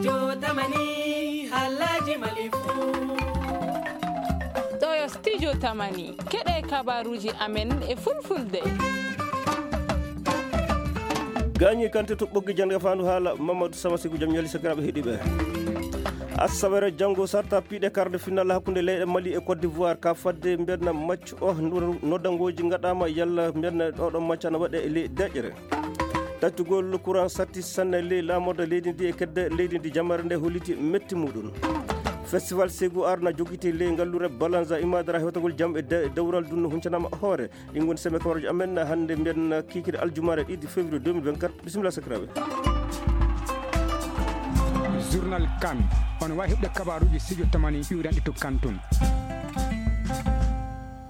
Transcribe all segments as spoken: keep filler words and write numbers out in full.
Studio Tamani, haalaaji Mali fuu. Ɗo yo Studio Tamani, keɗe kabaruuji amen e fulfulde. Gaañi kante to ɓoggi jannde faandu haala Mamadou Samasigu, jam ñaali sakiraaɓe heɗiiɓe. Asawere janngo sarta piiɗe quart de finale hakkunde leyɗe Mali e Côte d'Ivoire ka fadde mbiyen match o, noddanngooji ngaɗaama yalla mbiyen oɗo match ana waɗe e ley deƴƴere. Taccugol courant satti sanne ley laamorde leydi ndi e kedde leydi ndi, jamare nde holliti metti muɗum. Festival Ségou Art na jogiti ley ngallure Balanza Imadara hewtagol jam e de-, dewral dunno huncanaama hoore. Ɗin ngoni seme kabaruuji amen hannde mbiyen kiikiri aljumaare ɗiɗi février deux mille vingt-quatre. Bisimilla sakiraaɓe. Journal Kan, on waawi heɓde kabaruuji Studio Tamani iwranɗe to Kan tun.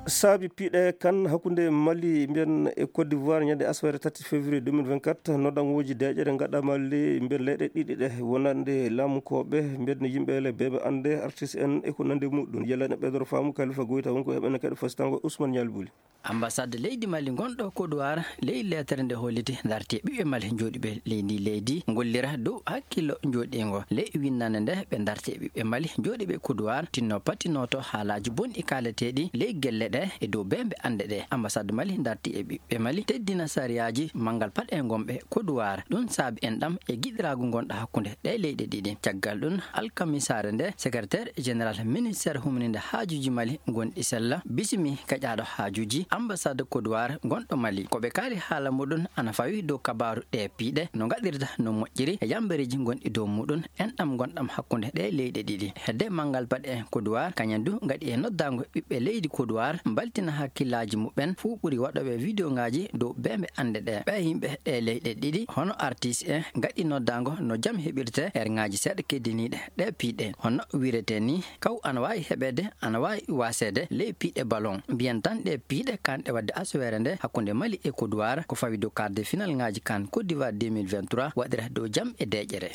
Saabi piiɗe kan hakkunde Mali mbiyen e Côte d'Ivoire ñande asawere tati février deux mille vingt-quatre, noddanngooji deƴƴere ngaɗaama ley mbiyen leyɗe ɗiɗi ɗe wonande laamunkooɓe mbiyen yimɓe le beeɓe annde artiste en e ko nandi muɗum. Yalla ne ɓeydoro faamu Kalifa Goyta wonko heɓene keɗe fasitango Ousmane Ñaali Buli. Ambassade leydi Mali ngonɗo Côte d'Ivoire ley leetere nde holliti darti e ɓiɓɓe Mali jooɗiiɓe ley ndi leydi ngollira dow hakkillo jooɗiingo. Ley winnande nde ɓe darti e ɓiɓɓe Mali jooɗiiɓe Côte d'Ivoire tinno patinoto haalaaji bonɗi kaaleteeɗi ley gelle ɗe e dow beembe annde ɗe. Ambassade Mali darti e ɓiɓɓe Mali teddina sariyaaji manngal paɗe ngonɓe Côte d'Ivoire. Ɗum saabi enɗam e giɗiraagu ngonɗo hakkunde ɗe leyɗe ɗiɗi. Caggal ɗum, alkamisaare nde, secrétaire général ministère humaninde haajuuji Mali gonɗi sella bisimi gaƴaaɗo haajuuji ambassade Côte d'Ivoire gonɗo Mali. Ko ɓe kaali haala muɗum ana fawi dow kabaaru ɗe piiɗe no ngaɗirta no moƴƴiri e yambereeji gonɗi dow muɗum enɗam ngonɗam hakkunde ɗe leyɗe ɗiɗi. Hedde manngal paɗe Côte d'Ivoire kañum du ngaɗi e noddaango ɓiɓɓe leydi Côte d'Ivoire mbaltina hakkillaaji muɓɓen fuu ɓuri waɗooɓe vidéo ngaaji dow beembe annde ɗe. Ɓee yimɓe ɗe leyɗe ɗiɗi hono artiste en ngaɗi noddaango no jam heɓirte erŋaaji seeɗa keddiniiɗe ɗe piiɗe. Hono wiretee ni, kaw ana waawi heɓeede, ana waawi waaseede ley piiɗe ballon. Mbiyen tan ɗe piiɗe kanɗe waɗde asawere nde hakkunde Mali e Côte d'Ivoire ko fawi dow quart de finale ngaaji Kan Côte d'Ivoire deux mille vingt-trois waɗira dow jam e deƴƴere.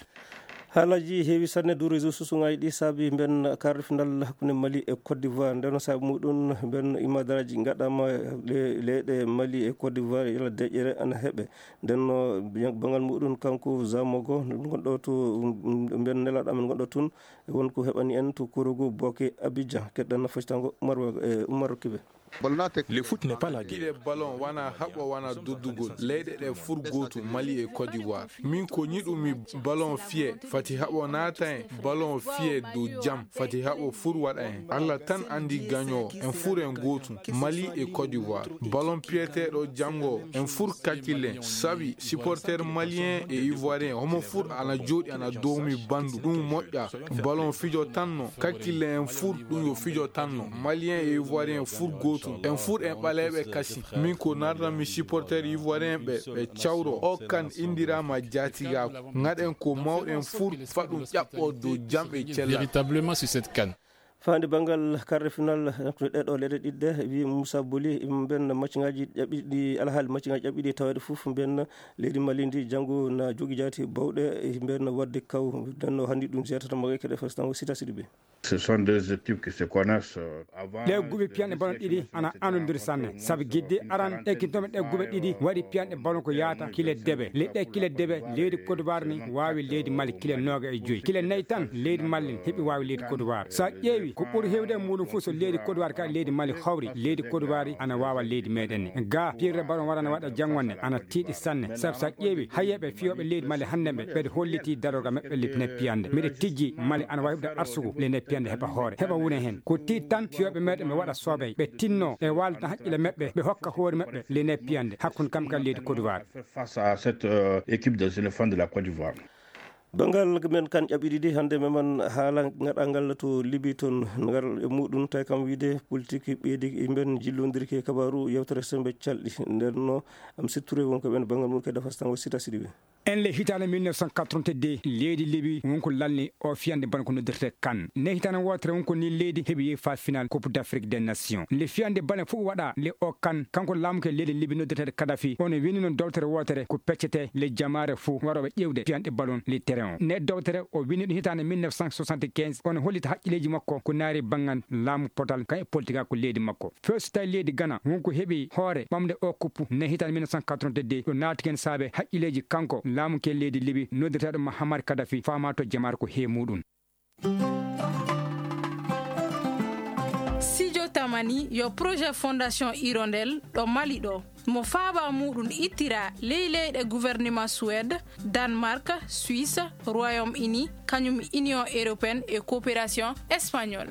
Haalaaji heewi sanne dow réseau susuŋaaji ɗi saabi mbiyen quart de finale hakkunde Mali e Côte d'Ivoire. Nden no saabi muɗum mbiyen imadaraaji ngaɗaama le-, leyɗe Mali e Côte d'Ivoire yalla deƴƴere ana heɓe. Nden no banngal muɗum kanko Zamogo gonɗo to, um, mbiyen nelaaɗo amen gonɗo tun, won ko heɓani en to Korogo Boke Abidjan. Keɗɗen no fasitango Umar Wa-, e Umar Kibe. Le foot n'est pas la guerre. Piɗe ballon wana haɓo wana doddugol. Leyɗe ɗe fur gootu, Mali e Côte d'Ivoire. Min ko ñiɗumi ballon fiye, fati haɓo naata en. Ballon fiye dow jam, fati haɓo fur waɗa en. Allah tan andi gagnoowo. En fur en gootu, Mali e Côte d'Ivoire. Ballon piyeteeɗo janngo, en fur kakkillen. Sabi supporter malien e ivoirien, homo fur ana jooɗi ana dowmi bandu. Ɗum moƴƴa. Ballon fijo tan no. Kakkille en fur ɗum yo fijo tan no. Malien e ivoirien fur gootum. En fur en ɓaleeɓe kasi. Min ko narranmi supporter ivoirien ɓe, ɓe cawro. O Kan indiraama jaatigaaku. Ngaɗen ko mawɗen fur faɗum ƴaɓɓo dow jam e cellal. Véritablement sur cette Can. Faande banngal quart de finale, ɗeɗo leyɗe ɗiɗɗe, wi Moussa Boli, mben macciŋaaji ƴaɓɓiɗi, alhaali macciŋaaji ƴaɓɓiɗi taweede fof, mben leydi Mali ndi janngo na jogi jaati bawɗe, mben waɗde kaw, nden no hanndi ɗum jeetata mo e keɗe fes tan o Sita Sidibé. Ce sont deux équipes qui se connaissent, euh, avant. Ɗe guɓe piyanɗe ballon ɗiɗi ana anondiri sanne. Sabu gidde aran ekkintoɓe ɗe guɓe ɗiɗi waɗi piyanɗe ballon ko yaata kile debe. Le ɗe kile debe leydi Côte d'Ivoire ni waawi leydi Mali kile nooga e joyi. Kile nayi tan leydi Mali heɓi waawi leydi Côte d'Ivoire. So a ƴeewi ko ɓuri heewde e muɗum fof so leydi Côte d'Ivoire ka leydi Mali hawri, leydi Côte d'Ivoire ana waawa leydi meɗen ni. Ga piyirde ballon warana waɗa janngonde ana tiiɗi sanne. Sabu so a ƴeewi hayyeɓe fiyooɓe leydi Mali hannde ɓe ɓeɗe holliti darorga maɓɓe le piyande. Mbiɗa tijji Mali ana wawi heɓde arsugu le nde piyande heɓa hoore, heɓa wune hen. Ko tiiɗi tan fiyooɓe meɗen ɓe waɗa soobey, ɓe tinno e waalde haqqille maɓɓe, ɓe hokka hoore maɓɓe le nde piyande hakkunde kam kadi leydi Côte d'Ivoire. Face à cette, euh, équipe des éléphants de la Côte d'Ivoire. Banngal men kan ƴaɓɓiɗi ɗi hannde meman haala ngaɗangal to Libi toon, ngal e muɗum tawi kam wiide politique ɓeydi yimɓen jillondirki e kabaru yewtere sembe calɗi. Nden no am sitture won ko ɓen banngal mum kadi fastan o Sita Sidibé. En le hitaande mille neuf cent quatre-vingt-deux, leydi Libi wonko lalni o fiyande ballon ko noddirte Kan. Ne hitaande wootere wonko ni leydi heɓi yehi fa final Coupe d'Afrique des Nations. Le fiyande ballon fof waɗa le o Kan, kanko laamuke leydi Libi noddirteede Kadhafi, ono wini noon dowtere wootere ko peccete le jamaare fof waroɓe ƴeewde fiyande ballon le terrain. Ne dowtere o winni ɗum hitaande mille neuf cent soixante-quinze, kono hollita haqqilleeji makko ko naari banngal laamu potal, kan e politigaaku leydi makko. Feesu tawi leydi Gana, won ko heɓi hoore ɓamde o kuppu ne hitaande mille neuf cent quatre-vingt-deux, ɗo naati ken saabe haqqilleeji kanko laamu ke leydi Libi, noddirteeɗo Muhammad Kadhafi, faama to jamaare ko he muɗum. Sijo Tamani yo projet Fondation Hirondelle ɗo Mali ɗo. Mo faaba muɗum ittira ley leyɗe gouvernement Suède, Danemark, Suisse, Royaume-Uni, kañum Union européenne e coopération espagnole.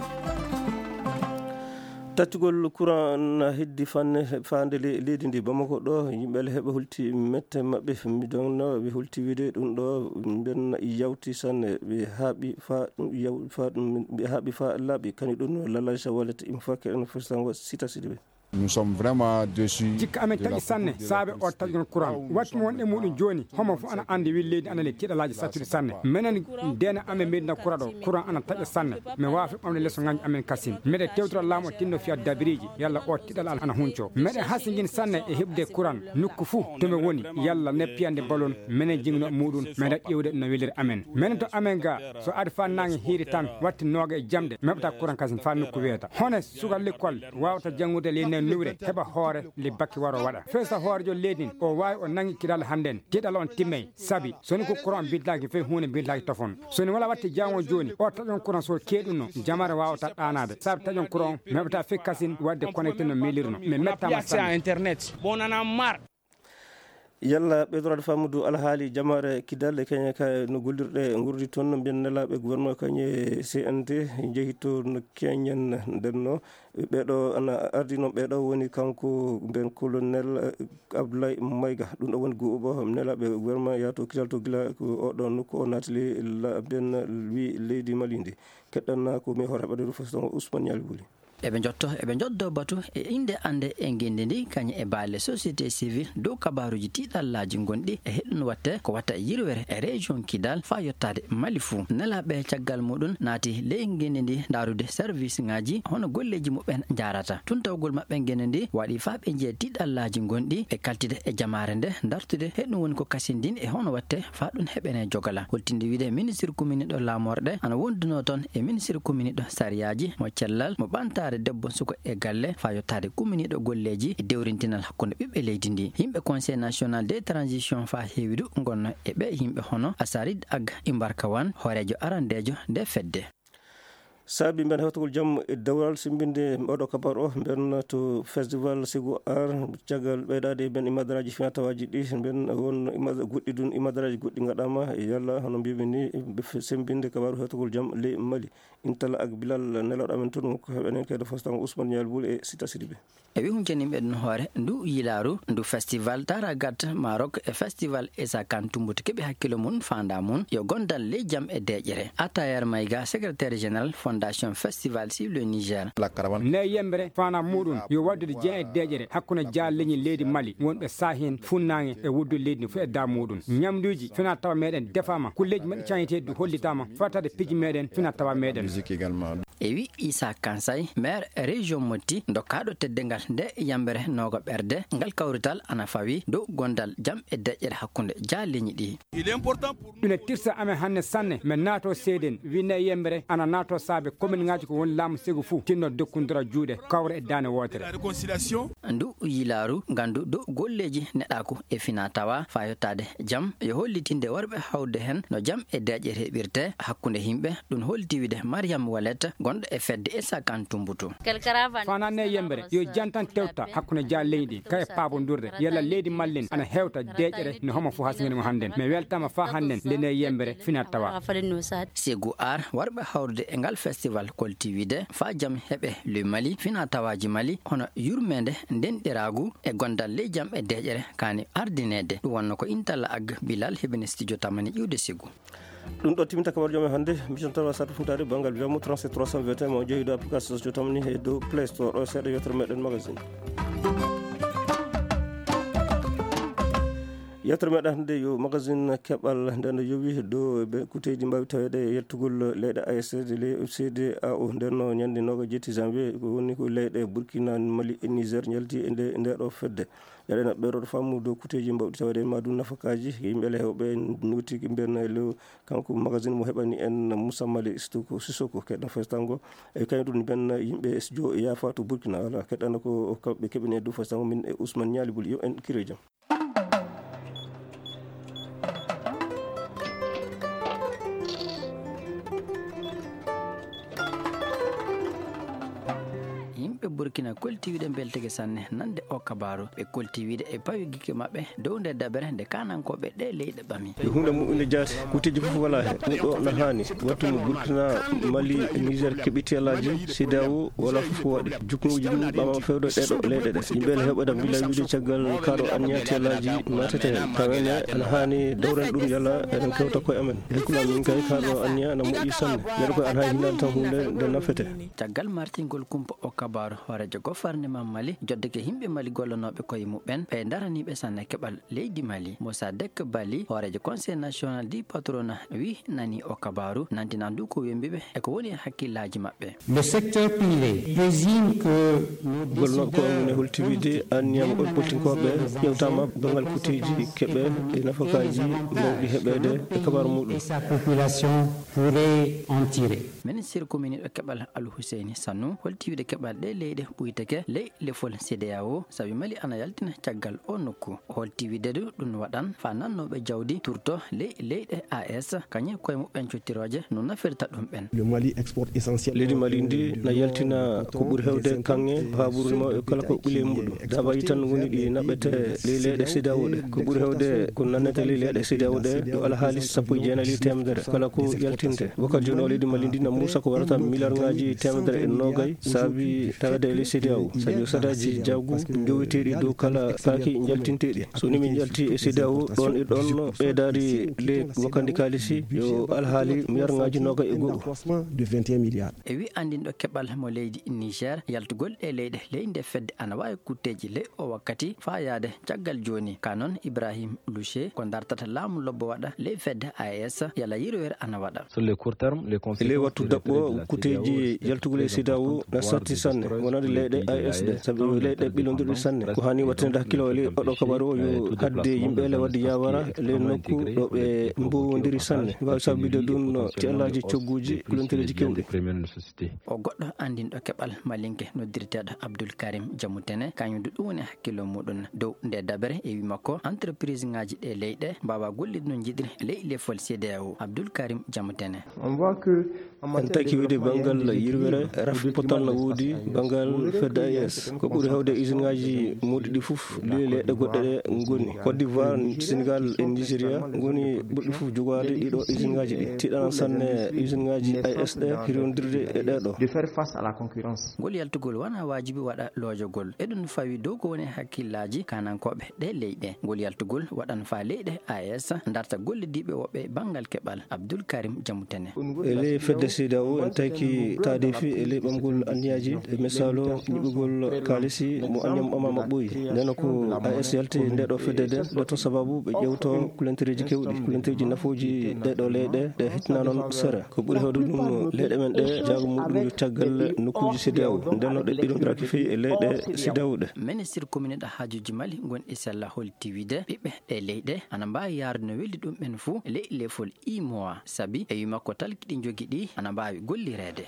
Taccugol courant na heddi fanne faande le-, leydi ndi. Bamako ɗo, yimɓe le heɓe hulti mette maɓɓe. Mi donno ɓe hulti wiide ɗum ɗo, mben yawti sanne, ɓe haaɓi fa, yaw-, fa, ɓe haaɓi fa laaɓi. Kani ɗum no Lalaja Wallet im fakke en fustango sita sidi ɓe. Nous sommes vraiment déçus. Jikka amen taƴi sanne saabe o taƴgol courant. Wattu mo wonɗe muɗum jooni, homo fof ana anndi wi leydi ana le tiɗalaaji sattude sanne. Menen deena amen medina courant ɗo, courant ana taƴa sanne. Mi waafi ɓamde leso ŋañi amen kasin. Meɗe tewtira laamu o tinno fiya dabiriji, yalla o tiɗal ana hunco. Meɗe hasingin sanne e heɓde courant nokku fuu to mi woni, yalla ne piyande balon, menen jingno muɗum, meɗa ƴewde no weliri amen. Menen to amen ga, so ari fa nange hiiri tan, watti nooga e jamɗe, meɓata courant kasin fa nokku weeta. Hone suka lekkol wawata janngude ley nder nuwre, heɓa hoore le bakke waro waɗa. Fesa hoorejo leydi, o waawi o nangi kiɗal hannden, tiɗal on timmey, sabi so ni ko courant bidlaaki fey huunde bidlaaki tofon. So ni wala watti jango jooni, o taƴon courant so keeɗuno, jamare wawata ɗaanaade. Sabi taƴon courant, meɓata fey kasin wadde connecté no melirno. Mi mettama sanne. Internet. Bon, on en a marre. Yalla ɓeydoraade faamudu alhaali jamaare Kidal e Keñe ka no gollirɗe ngurdi toon, no mbiyen nelaaɓe gouvernement Keñe C N T njehi to no Keñen ndenno. Ɓeeɗo ana ardino ɓeeɗo woni kanko mbiyen colonel, eh, Abdoulaye Maïga. Ɗum ɗo woni go'uɓo nelaaɓe gouvernement yaato Kidal to gila ko oɗo nokku o naatili la-, mbiyen wi leydi Mali ndi. Keɗɗanna ko mi hoore ɓaɗe Rufus Ousmane Yali Wuli. Eɓe njotto, eɓe njoddo batu e innde annde e ngenndi ndi, kañum e baale société civile dow kabaaruuji tiiɗallaaji ngonɗi e heɗɗun watte ko watta e yirwere e région Kidal faa yottaade Mali fuu. Nelaaɓe caggal muɗum naati ley ngenndi ndi ndaarude service ŋaaji hono golleeji muɓɓen njaarata. Tuntawgol maɓɓe ngenndi ndi waɗi faa ɓe njiya tiiɗallaaji ngonɗi e kaltide e jamaare nde ndartude heɗɗun woni ko kasindin e hono watte faa ɗum heɓene jogala. Holtinde wiide ministre kuminiiɗo laamorɗe ana wondunoo toon e ministre kuminiiɗo sariyaaji mo cellal, mo ɓantaare debbo suka e galle faa yottaade kuminiiɗo golleeji e dewrintinal hakkunde ɓiɓɓe leydi ndi. Yimɓe Conseil National de Transition faa heewi du ngonno e ɓe yimɓe hono Asarid Ag Imbarkawan, hooreejo arandeejo nde fedde. Saabi mben hewtagol jam e dewral simbinde oɗo kabar o, mben to festival Segu Ar, caggal ɓeydaade mben imadaraaji finatawaaji ɗi, mben won imad-, goɗɗi ɗun imadaraaji goɗɗi ngaɗaama, yalla hono mbiimi ni, ɓe f-, sembinde kabaru hewtagol jam ley Mali. Intala ak Bilal nelawɗo amen toon, ko heɓenen kaydo fostango Ousmane Nial Boul e Sita Sidibé. E wi huncaninɓe ɗum hoore, ndu yilaaru, ndu festival Taragat Maroc e festival Issa Kane Tumbutu keɓi hakkilo mum, faanda mum yo gondal ley jam e deeƴere. Atayer Maïga, secrétaire général Fondation Festival sur le Niger. Ne yembere faanda muɗum yo waddude jam e deeƴere hakkunde jaal leñi leydi Mali, wonɓe saahen funnaange e wuddu leydi ndi fof e da muɗum. Ñamduuji fina tawa meɗen defaama, kulleeji meɗen cañeteeɗi hollitaama, fataade piiji meɗen fina tawa meɗen. E wi Issa Kansay, maire région Motti, dokkaaɗo teddungal nde yambere nooga ɓerde, ngal kawrital ana fawi dow gondal jam e deƴƴere hakkunde jaal leñi ɗi. Ina tirsa amen hannde sanne, men naato seeden, winne yembere ana naato saabe komin ngaaji ko woni laamu segu fuu, tinno dokkundura juuɗe, kawra e daane wootere. Ndu yilaaru ngandu dow golleeji neɗɗaaku e fina tawa faa yottaade jam, yo hollitinde warɓe hawde heen no jam e deeƴe heɓirte hakkunde yimɓe. Ɗum holti wiide Mariam Walet, gonɗo e fedde Issa Kane Tumbutu. Fanaan ne yembere, yo jantan tewta hakkunde jaal leñi ɗi, ka e paabondirde, yalla leydi mallen ana hewta deeƴere no homo fof hasngani mo hannden. Mi weltama faa hannden nde ne yembere fina tawa. Segu ar warɓe hawrude e ngal festival kolti wiide faa jam heɓe ley Mali, fina tawaaji Mali, hono yurmeende, ndenɗiraagu e gondal ley jam e deeƴere kaani ardineede. Ɗum wonno ko Intala Ag Bilal heɓini studio Tamani ƴiwde Segu. Ɗum ɗo timinta kabaru jam e hannde, mission tawa satu funtaade banngal wiyamu trente-sept trois cent vingt et un, mo jeeyi dow application studio Tamani e dow Play Store, ɗo seeɗa yewtere meɗen magazine. Yettere meɗen hannde yo magazine keɓal nde no yowi dow ɓe kuteeji mbaawi taweede e yaltugol leyɗe A E S de ley C D A O. Nden no ñande noogaas e jeetati janvier ko woni ko leyɗe Burkina, Mali e Niger njalti e nde, nde ɗo fedde. Eɗen ɓeeɗo faamu dow kuteeji mbawɗi taweede e maɗum nafakaaji yimɓe le heewɓe noti mbiyen e lew kanko magazine mo heɓani en Moussa Mali Sissoko, Sissoko keɗɗo festango e kañum ɗum mbiyen yimɓe S D O yaafa to Burkina. Wala keɗɗano ko kamɓe keɓani e dow festango min e Ousmane Niali Buli. Yo en kire jam. Yimɓe Burkina kolti wiide mbelteke sanne nande o kabaaru. Ɓe kolti wiide e pawi gikke maɓɓe dow nde dabere nde kaanankooɓe ɗe leyɗe ɓami. Ko huunde moƴƴunde jaati, kuuteeji fof wala he. Ɗum ɗo no haani. Wattu mo Burkina, Mali, Niger keɓi tiyalaaji, C D A O wala fof ko waɗi. Jukkuuji ɗum ɓama fewde ɗeɗo leyɗe ɗe. Yimɓe ne heɓa da mbila wiide caggal kaɗo anniya tiyalaaji naatete heen. Tawen ne ana haani dawren ɗum yalla eɗen kewta koye amen. Hikkulan min kay kaɗo anniya ana moƴƴi sanne. Neɗɗo koye ana haani hinnaade tan huunde nde nafete. Caggal martingol kumpa o kabaaru, hooreejo gofarnema Mali joddeke yimɓe Mali gollanooɓe koye muɓɓen, ɓe daraniiɓe sanne keɓal leydi Mali. Moussa Dek Bali, hooreejo Conseil National du Patronat, wi nani o kabaaru, nantinan du ko wembiɓe e ko woni e hakkillaaji maɓɓe. Le secteur privé présime que nos Golnooɓe ko on ne holti wiide anniyam on politinkooɓe ƴewtaama banngal kuteeji keɓe e nafakaaji mawɗi heɓeede e kabaaru muɗum. Et sa population pourrait en tirer. Ministre kominiiɗo keɓal Al Husseini Sanu holti wiide keɓal ɗe leyɗe ɓuyteke ley lefol C D A O, sabi Mali ana yaltina caggal o nokku. O holti wiide du ɗum waɗan faa nannooɓe jawdi turto ley leyɗe A E S, kañum koye muɓɓen cottirooje no nafirta ɗum ɓen. Le Mali exporte essentiellement. Leydi Mali ndi na yaltina ko ɓuri heewde kaŋŋe, paaburu ma e kala ko ɓile muɗum. Dabaji tan ngoni ɗi naɓete ley leyɗe C D A O ɗe. Ko ɓuri heewde ko nannete ley leyɗe C D A O ɗe yo alhaali sappo e jeenayi e teemedere kala ko yaltinte. Wakkati jooni o leydi Mali ndi na muusa ko warata miliyarŋaaji teemedere e noogay saabi tawede e ley C D A O. Sabi o sadaji jawgu njoweteɗi dow kala kaaki jaltinteɗi. So ni min jalti e C D A O ɗon e ɗon ɓeydaari ley wakkandi kaalisi yo alhaali miliyarŋaaji noogay e go'o. Accroissement de vingt et un milliards. E wi anndinɗo keɓal mo leydi Niger, yaltugol ɗe leyɗe ley nde fedde ana waawi kutteeji ley o wakkati faa yaade caggal jooni. Ka noon Ibrahim Louché ko dartata laamu lobbo waɗa ley fedde A E S yala yirwere ana waɗa. Sur le court terme, les E ley wattu daɓɓo kuteeji yaltugol e C D A O na sarti sanne wonande leyɗe A E S ɗe, sabi leyɗe ɓilondirɗe sanne. Ko hani wattinde hakkilo e ley oɗo kabaru o yo hadde yimɓe le wadde yawara ley nokku ɗo ɓe mbowondiri sanne. Waawi sabbide ɗum no tiyallaji cogguji kulontireji kewɗi. O goɗɗo anndinɗo keɓal malinke noddirteeɗo Abdoul Karim Diamoutene, kañum du ɗum woni hakkillo muɗum dow nde dabere e wi makko entreprise ŋaaji ɗe leyɗe mbaawa gollude no njiɗiri ley lefol C D A O. Abdoul Karim Diamoutene. On voit que en En taki wiide banngal yirwere raf potal no woodi banngal fedde A E S. Ko ɓuri heewde usine ŋaaji moodi ɗi fof ley leyɗe goɗɗe ɗe ngoni. Côte d'Ivoire, Sénégal e Nigeria ngoni ɓurɗi fof jogaade ɗiɗo usine ŋaaji ɗi. Tiɗanan sanne usine ŋaaji A E S ɗe hirondirde e ɗeɗo. De faire face à la concurrence. Ngol yaltugol wona waajibi waɗa loojogol. Eɗum fawi dow ko woni hakkillaaji kaanankooɓe ɗe leyɗe. Ngol yaltugol waɗan faa leyɗe A E S darta gollidiiɓe woɓɓe banngal keɓal. Abdoul Karim Diamoutene. E ley fedde C D A O en taki taadeefi e ley ɓamgol anniyaaji e misaalu ñiɓugol kaalisi mo anniyam ɓamaama ɓooyi. Ndeno ko A E S yalti nde ɗo fedde nde, nde to sababu ɓe ƴewto kulantereeji kewɗi, kulantereeji nafooji ɗe ɗo leyɗe ɗe hitna noon sere. Ko ɓuri heewde ɗum leyɗe men ɗe jaago muɗum yo caggal nokkuuji C D A O. Ndeno ɗe ɓilondiraki feewi e leyɗe C D A O ɗe. Ministre kominiiɗo haajuuji Mali ngon e sella holti wiide ɓiɓɓe ɗe leyɗe ana mbaawi yaarude no weldi ɗum ɓen fuu ley lefol imowa, sabi e wi makko talki ɗi njogi ɗi ana mbaawi gollireede.